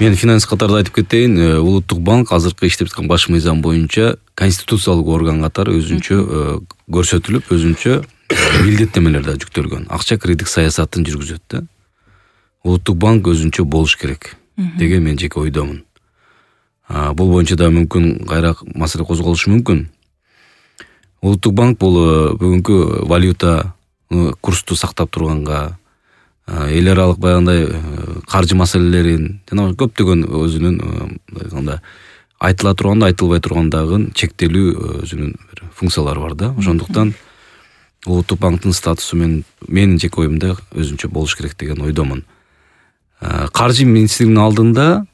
Мен финанс катарда айтып кетейин, Улуттук банк азыркы иштеп жаткан баш мыйзам боюнча конституциялык орган катары өзүнчө көрсөтүлүп, өзүнчө милдеттемелер да жүктөлгөн. Акча кредиттик саясатын жүргүзөт да. Улуттук банк өзүнчө болуш керек деген мен жеке ойдомун. Бул боюнча да мүмкүн кайраак маселе козголушу мүмкүн. Улуттук банк бул бүгүнкү валюта курсту сактап турганга, эл аралык баягындай каржы маселелерин жана көптөгөн өзүнүн айтыла турганда, айтылбай тургандагы чектелүү өзүнүн функциялары бар да. Ошондуктан Улуттук банктын статусу менин жеке оюмда өзүнчө болуш керек деген ойдомун. Каржы министрлигинин алдында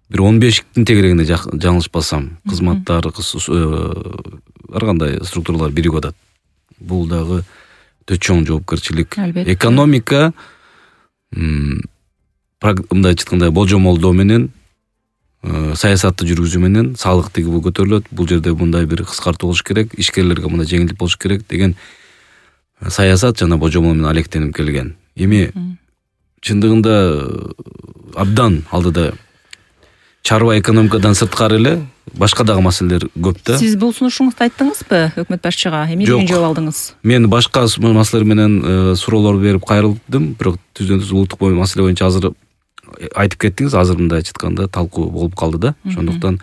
бир 15 тегерегинде жаңылышпасам, кызматтар, ар кандай структуралар биригип атат. Бул дагы өтө чоң жоопкерчилик. Экономика мындай айтканда болжомолдоо менен, саясатты жүргүзүү менен салык тигүү көтөрүлөт. Бул жерде мындай бир кыскартуу болуш керек, ишкерлерге мындай жеңилдик болуш керек деген саясат жана божомол менен алектенип келген. Эми чындыгында абдан алдыда чарба экономикадан сырткары эле башка дагы маселелер көп да. Сиз бул сунушуңузду айттыңызбы өкмөт башчыга? Эмне деген жооп алдыңыз? Мен башка маселелер менен суроолор берип кайрылдым, бирок түздөн-түз улуттук маселе боюнча азыр айтып кеттиңиз, азыр мындай айтканда талкуу болуп калды да. Ошондуктан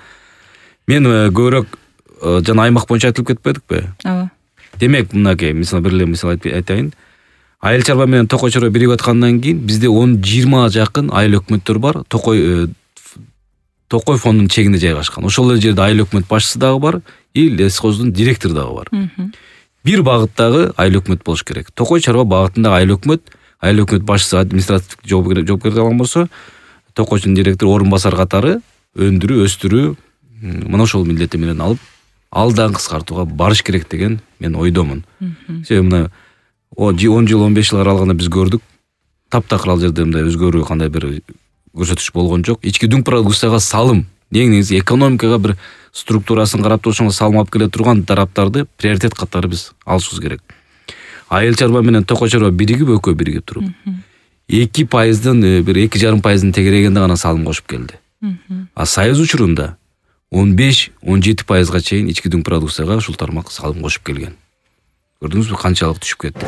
мен көбүрөөк жана аймак боюнча айтылып кетпедикпи? Ооба. Демек, мынакей, мисалы бир эле мисал айтайын. Айыл чарба менен токой чарба биригип аткандан кийин бизде 10-20 жакын айыл өкмөттөр бар. Токой фондунун чегинде жайгашкан. Ошол эле жерде айыл өкмөт башчысы дагы бар, лесхоздун директору дагы бар. Бир багыттагы айыл өкмөт болуш керек. Токой чарба багытындагы айыл өкмөт башчысы административдик жоопкерчилик алган болсо, токойчунун директору орун басар катары өндүрүү, өстүрүү мына ошол милдеттемелерин алып, алдан кыскартууга барыш керек деген мен ойдомун. Себеби мына 10 жыл, 15 жыл аралыгында биз көрдүк. Таптакыр ал жерде мындай өзгөрүү кандай бир көрсөтүш болгон жок. Ички дүң продукцияга салым, негизи экономикага бир структурасын карап турушунга салым алып келе турган тараптарды приоритет катары биз алышыбыз керек. Айыл чарба менен токой чарба экөө биригип туруп, 2%, бир 2,5% тегерегинде гана салым кошуп келди. А союз учурунда 15-17%га чейин ички дүң продукцияга ушул тармак салым кошуп келген. Көрдүңүзбү канчалык түшүп кетти?